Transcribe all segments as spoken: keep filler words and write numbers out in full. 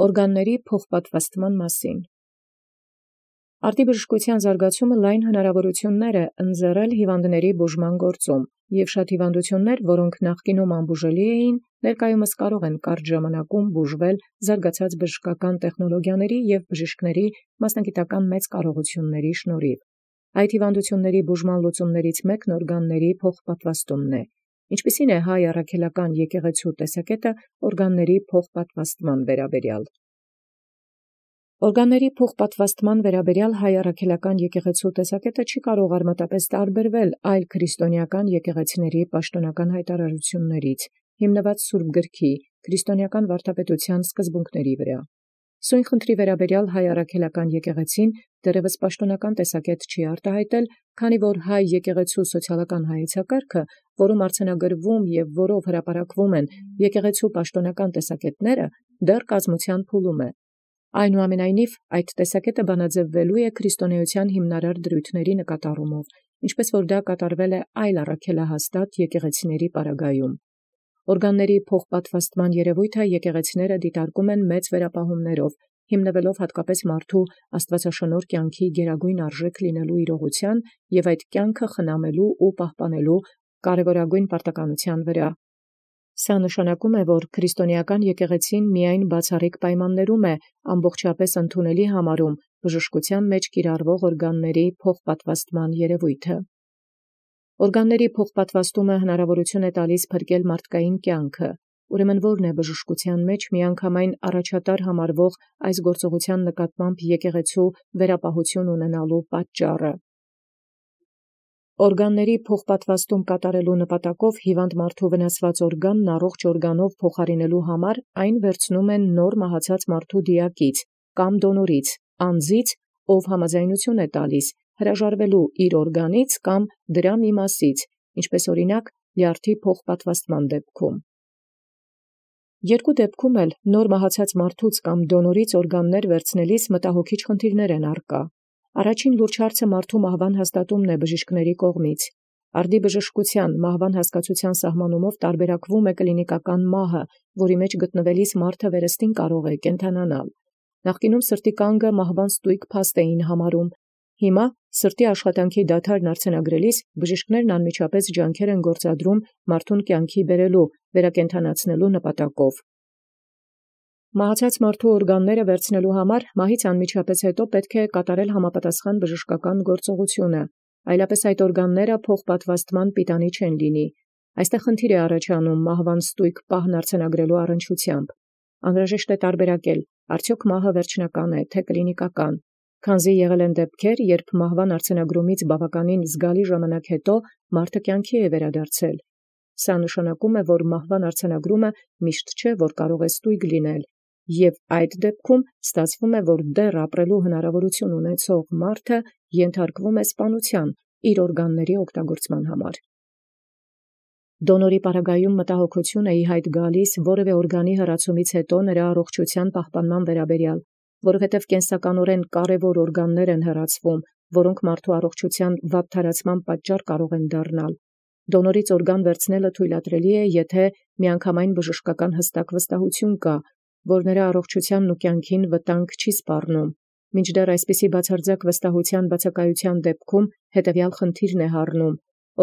Օրգանների փոխպատվաստման մասին։ Արտիբժշկութեան զարգացումը լայն հնարաւորութիւններ է ընձեռել հիւանդացն բուժման գործում, և շատ հիւանդութիւններ, որոնք նախկինում անբուժելի էին, ներկայումս կարող են կարճ ժամանակում բուժվել զարգացած բժշկական տեխնոլոգիաների և բժիշկների մասնագիտական մեծ կարողութիւնների շնորհիվ։ Այդ հիւանդութիւնների բուժման լուծումներից մեկն օրգանների փոխպատվաստումն է, ինչպիսին է հայ առաքելական եկեղեցու տեսակետը օրգանների փոխպատվաստման վերաբերյալ։ Օրգանների փոխպատվաստման վերաբերյալ հայ առաքելական եկեղեցու տեսակետը չի կարող արմատապէս տարբերվել այլ քրիստոնեական եկեղեցիների պաշտոնական հայտարարութիւններից, հիմնված Սուրբ գրքի քրիստոնեական վարդապետութեան սկզբունքների վրա։ Սույն խնդրի վերաբերյալ հայ առաքելական եկեղեցին դեռևս պաշտոնական տեսակետ չի արտահայտել, քանի որ հայ եկեղեցու սոցիալական հայեցակարգը, որում արձանագրվում և որով հրապարակվում են եկեղեցու պաշտոնական տեսակետները, դեռ կազմութեան փուլում է։ Այնուամենայնիվ, այդ տեսակետը բանաձևվելու է քրիստոնեության հիմնարար դրույթների նկատառումով, ինչպես որ դա կատարվել է այլ առաքելահաստատ եկեղեցիների պարագայում։ Օրգանների փոխպատվաստման երևոյթը եկեղեցիները դիտարկում են մեծ վերապահումներով, հիմնվելով հատկապես մարդու աստուածաշնորհ կյանքի գերագույն արժեք լինելու իրողութեան և այդ կյանքը խնամելու ու պահպանելու կարևորագույն պարտականութեան վրա։ Սա նշանակում է, որ քրիստոնեական եկեղեցին միայն բացառիկ պայմաններում է ամբողջապէս ընդունելի համարում բժշկութեան մեջ կիրառվող օրգանների փոխպատվաստման երևոյթը։ Օրգանների փոխպատվաստումը հնարաւորութիւն է տալիս փրկել մարդկային կյանքը, ուրեմն ո՛րն է բժշկութեան մեջ միանգամայն առաջատար համարվող այս գործողութեան նկատմամբ եկեղեցու վերապահութիւն ունենալու պատճառը։ Օրգանների փոխպատվաստում կատարելու նպատակով հիվանդ մարդու վնասված օրգանն առողջ օրգանով փոխարինելու համար այն վերցնում են նոր մահացած մարդու դիակից կամ դոնորից, անձից, ով համաձայնություն է տալիս հրաժարվելու իր օրգանից կամ դրա մի մասից, ինչպես օրինակ լյարդի փոխպատվաստման դեպքում։ Երկու դեպքում էլ նոր մահացած մարդուց կամ դոնորից օրգաններ վերցնելիս մտահոգիչ խնդիրներ են առկա։ Առաջին լուրջ հարցը մարդու մահվան հաստատումն է բժիշկների կողմից։ Արտիբժշկութեան մահվան հասկացութեան սահմանումով տարբերակվում է կլինիկական մահը, որի մեջ գտնվելիս մարդը վերստին կարող է կենդանանալ։ Նախկինում սրտի կանգը մահվան ստույգ փաստ էին համարում։ Հիմա սրտի աշխատանքի դադարն արձանագրելիս բժիշկներն անմիջապես ջանքեր են գործադրում մարդուն կյանքի բերելու, վերակենդանացնելու նպատակով։ Մահացած մարդու օրգանները վերցնելու համար մահից անմիջապես հետո պետք է կատարել համապատասխան բժշկական գործողությունը, այլապես այդ օրգանները փոխպատվաստման պիտանի չեն լինի։ Այստեղ խնդիր է առաջանում մահվան ստույգ պահն արձանագրելու առնչությամբ։ Անհրաժեշտ է տարբերակել, արդյոք մահը վերջնական է, թե կլինիկական, քանզի եղել են դեպքեր, երբ մահվան արձանագրումից բավականին զգալի ժամանակ հետո մարդը կյանքի է վերադարձել։ Սա նշանակում է, որ մահվան արձանագրումը միշտ չէ, որ կարող է ստույգ լինել, և այդ դեպքում ստացվում է, որ դեռ ապրելու հնարավորություն ունեցող մարդը ենթարկվում է սպանության իր օրգանների օգտագործման համար։ Դոնորի պարագայում մտահոգություն է ի հայտ գալիս որևէ օրգանի հեռացումից հետո նրա առողջության պահպանման վերաբերյալ, որովհետև կենսականորեն կարևոր օրգաններ են հեռացվում, որոնք մարդու առողջության վատթարացման պատճառ կարող են դառնալ։ Դոնորից օրգան վերցնելը թույլատրելի է, եթե միանգամայն բժշկական հստակ վստահություն կա, որ նրա առողջությանն ու կյանքին վտանգ չի սպառնում։ Մինչդեռ այսպիսի բացարձակ վստահության բացակայության դեպքում հետևյալ խնդիրն է հառնում.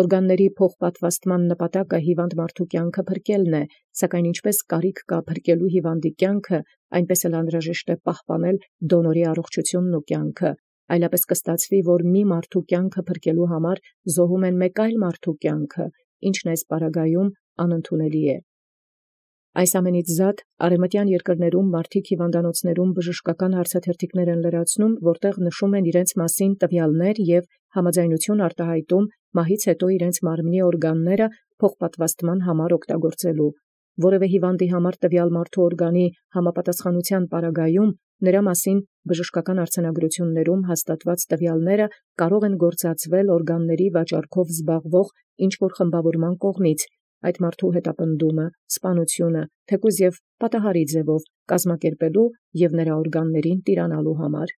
օրգանների փոխպատվաստման նպատակը հիվանդ մարդու կյանքը փրկելն է, սակայն ինչպես կարիք կա փրկելու հիվանդի կյանքը, այնպես էլ անհրաժեշտ է պահպանել դոնորի առողջությունն ու կյանքը, այլապես կստացվի, որ մի մարդու կյանքը փրկելու համար զոհում են մեկ այլ մարդու կյանքը, ինչն այս պարագայում անընդունելի է։ Այս ամենից զատ արևմտյան երկրներում մարդիկ հիվանդանոցներում բժշկական հարցաթերթիկներ են լրացնում, որտեղ նշում են իրենց մասին տվյալներ և համաձայնություն արտահայտում մահից հետո իրենց մարմնի օրգանները փոխպատվաստման համար օգտագործելու։ Որևէ հիվանդի համար տվյալ մարդու օրգանի համապատասխանության պարագայում նրա մասին բժշկական արձանագրություններում հաստատված տվյալները կարող են գործածվել օրգանների վաճառքով զբաղվող ինչ-որ խմբավորման կողմից, այդ մարդու հետապնդումը, սպանությունը, թեկուզ և պատահարի ձևով կազմակերպելու և նրա օրգաններին տիրանալու համար։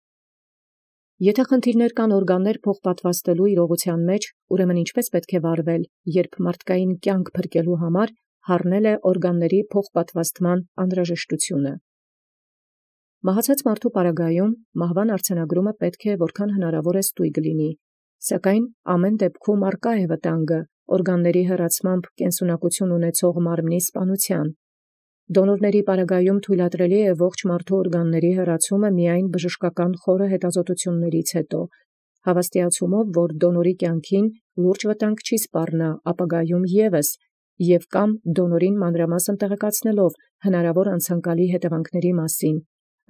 Եթե խնդիրներ կան օրգաններ փոխպատվաստելու իրողության մեջ, ուրեմն ինչպես պետք է վարվել, երբ մարդկային կյանք փրկելու համար հառնել է օրգանների փոխպատվաստման անհրաժեշտությունը։ Մահացած մարդու պարագայում մահվան արձանագրումը պետք է որքան հնարավոր է ստույգ լինի, սակայն ամեն դեպքում արկա է վտանգը օրգանների հեռացմամբ կենսունակություն ունեցող մարմնի սպանության։ Դոնորների պարագայում թույլատրելի է ողջ մարդու օրգանների հեռացումը միայն բժշկական խորը հետազոտություններից հետո, հավաստիացումով, որ դոնորի կյանքին լուրջ վտանգ չի սպառնա ապագայում ևս, և կամ դոնորին մանրամասն տեղեկացնելով հնարավոր անցանկալի հետևանքների մասին,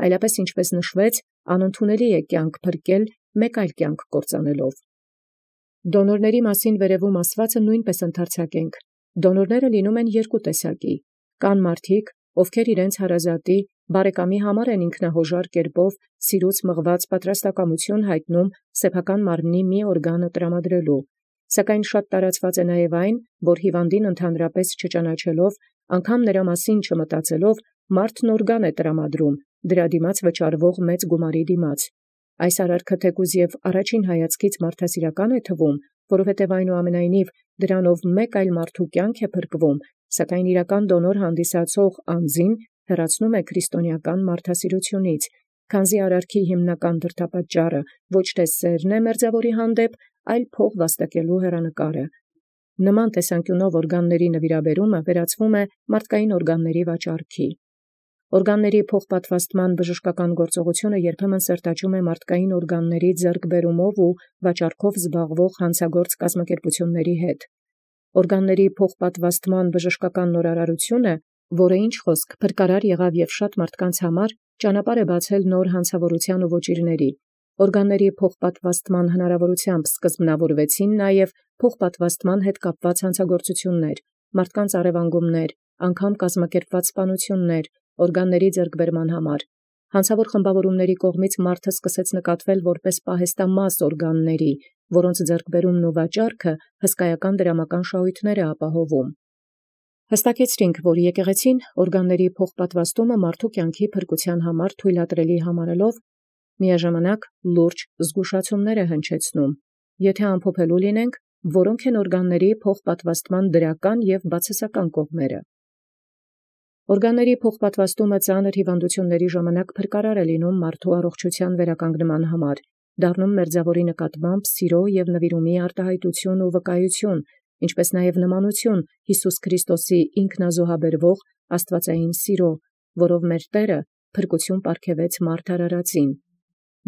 այլապես ինչպես նշվեց, անընդունելի է կյանք փրկել մեկ այլ կյանք կործանելով։ Դոնորների մասին վերևում ասվածը նույնպես ընդարձակենք։ Դոնորները լինում են երկու տեսակի. կան մարդիկ, ովքեր իրենց հարազատի, բարեկամի համար են ինքնահոժար կերպով սիրուց մղված պատրաստակամություն հայտնում սեփական մարմնի մի օրգանը տրամադրելու, սակայն շատ տարածված է նաև այն, որ հիվանդին ընդհանրապես չճանաչելով, անգամ նրա մասին չմտածելով, մարդն օրգան է տրամադրում, դրա դիմաց վճարվող մեծ գումարի դիմաց։ Այս արարքը թեկուզ և առաջին հայացքից մարդասիրական է թվում, որովհետև այնուամենայնիվ դրանով մեկ այլ մարդու կյանք է փրկվում, սակայն իրական դոնոր հանդիսացող անձին հեռացնում է քրիստոնեական մարդասիրությունից, քանզի արարքի հիմնական դրդապատճառը ոչ թե սերն է մերձավորի հանդեպ, այլ փող վաստակելու հեռանկարը։ Նման տեսանկյունով օրգանների նվիրաբերումը վերածվում է մարդկային օրգանների վաճառքի։ Օրգանների փոխպատվաստման բժշկական գործողությունը երբեմն սերտաճում է մարդկային օրգանների ձեռքբերումով ու վաճառքով զբաղվող հանցագործ կազմակերպությունների հետ։ Օրգանների փոխպատվաստման բժշկական նորարարությունը, որը ինչ խոսք փրկարար եղավ և շատ մարդկանց համար, ճանապարհ է բացել նոր հանցավորության ու ոճիրների։ Օրգանների փոխպատվաստման հնարավորությամբ սկզբնավորվեցին նաև փոխպատվաստման հետ կապված հանցագործություններ, մարդկանց առևանգումներ, անգամ կազմակերպված սպանություններ, օրգանների ձեռքբերման համար։ Հանցավոր խմբավորումների կողմից մարդը սկսեց նկատվել որպես պահեստամաս օրգանների, որոնց ձեռքբերումն ու վաճառքը հսկայական դրամական շահույթներ է ապահովում։ Հստակեցրինք, որ եկեղեցին օրգանների փոխպատվաստումը մարդու կյանքի փրկության համար թույլատրելի համարելով, միաժամանակ լուրջ զգուշացումներ է հնչեցնում, եթե ամփոփելու լինենք, որոնք են օրգանների փոխպատվաստման դրական և բացասական կողմերը։ Օրգանների փոխպատվաստումը ծանր հիվանդությունների ժամանակ փրկարար է լինում մարդու առողջության վերականգնման համար, դառնում մերձավորի նկատմամբ սիրո և նվիրումի արտահայտություն ու վկայություն, ինչպես նաև նմանություն Հիսուս Քրիստոսի ինքնազոհաբերվող աստվածային սիրո, որով մեր Տերը փրկություն պարգևեց մարդ արարածին։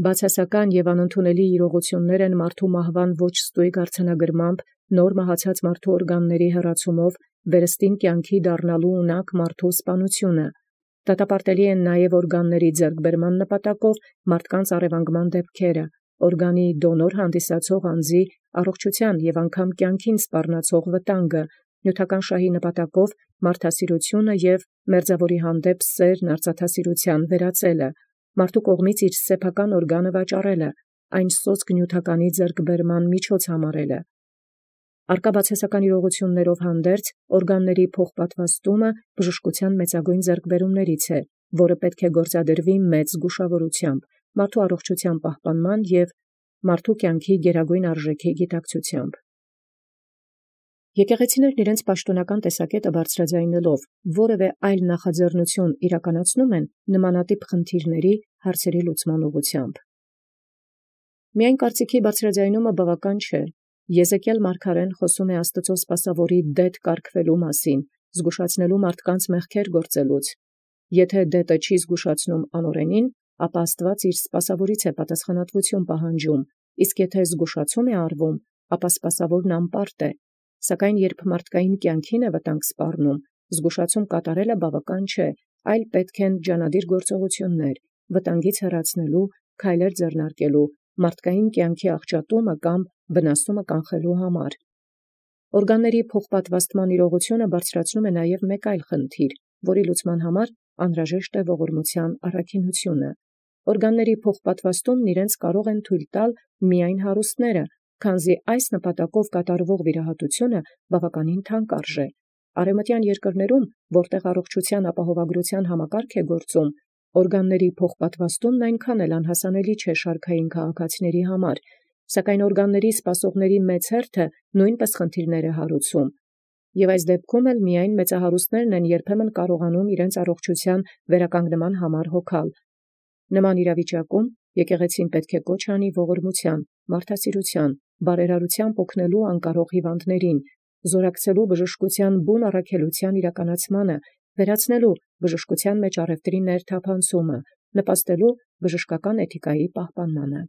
Բացասական և անընդունելի իրողություններ են մարդու մահվան ոչ ստույգ արձանագրմամբ, նոր մահացած մարդու օրգանների հեռացումով վերստին կյանքի դառնալու ունակ մարդու սպանությունը։ Դատապարտելի են նաև օրգանների ձեռքբերման նպատակով մարդկանց առևանգման դեպքերը, օրգանի դոնոր հանդիսացող անձի առողջության և անգամ կյանքին սպառնացող վտանգը, նյութական շահի նպատակով մարդասիրությունը և մերձավորի հանդեպ սերն արծաթասիրության վերածելը, մարդու կողմից իր սեփական օրգանը վաճառելը, այն սոսկ նյութականի ձեռքբերման միջոց համարելը։ Առկա բացասական իրողություններով հանդերձ օրգանների փոխպատվաստումը բժշկության մեծագույն ձեռքբերումներից է, որը պետք է գործադրվի մեծ զգուշավորությամբ, մարդու առողջության պահպանման և մարդու կյանքի գերագույն արժեքի գիտակցությամբ։ Եկեղեցիներն իրենց պաշտոնական տեսակետը բարձրաձայնելով որևէ այլ նախաձեռնություն իրականացնում են նմանատիպ խնդիրների հարցերի լուծման ուղղությամբ։ Միայն կարծիքի բարձրաձայնումը բավական չէ։ Եզեկիել մարգարեն խոսում է Աստծո սպասավորի դետ կարգվելու մասին, զգուշացնելու մարդկանց մեղքեր գործելուց։ Եթե դետը չի զգուշացնում անօրենին, ապա Աստված իր սպասավորից է պատասխանատվություն պահանջում, իսկ եթե զգուշացում է արվում, ապա սպասավորն անպարտ է։ Սակայն երբ մարդկային կյանքին է վտանգ սպառնում, զգուշացում կատարելը բավական չէ, այլ պետք են ջանադիր գործողություններ, վտանգից հեռացնելու, քայլեր ձեռնարկելու, մարդկային կյանքի աղճատումը կամ վնասումը կանխելու համար։ Օրգանների փոխպատվաստման իրողությունը բարձրացնում է նաև մեկ այլ խնդիր, որի լուծման համար անհրաժեշտ է ողորմության առաքինությունը։ Օրգանների փոխպատվաստումն իրենց կարող են թույլ տալ միայն հարուստները, քանզի այս նպատակով կատարվող վիրահատությունը բավականին թանկ արժե։ Արևմտյան երկրներում, որտեղ առողջության ապահովագրության համակարգ է գործում, օրգանների փոխպատվաստումն այնքան էլ անհասանելի չէ շարքային քաղաքացիների համար, սակայն օրգանների սպասողների մեծ հերթը նույնպես խնդիրներ է հարուցում։ Եվ այս դեպքում էլ միայն մեծահարուստներն են երբեմն կարողանում իրենց առողջության վերականգնման համար հոգալ։ Նման իրավիճակում եկեղեցին պետք է կոչ անի ողորմութեան, մարդասիրութեան, բարերարութեամբ օգնելու անկարող հիվանդացն, զորակցելու բժշկութեան բուն առաքելութեան իրականացմանը, վերացնելու բժշկութեան մեջ առևտրի ներթափանցումը, նպաստելու բժշկական էթիկայի պահպանմանը։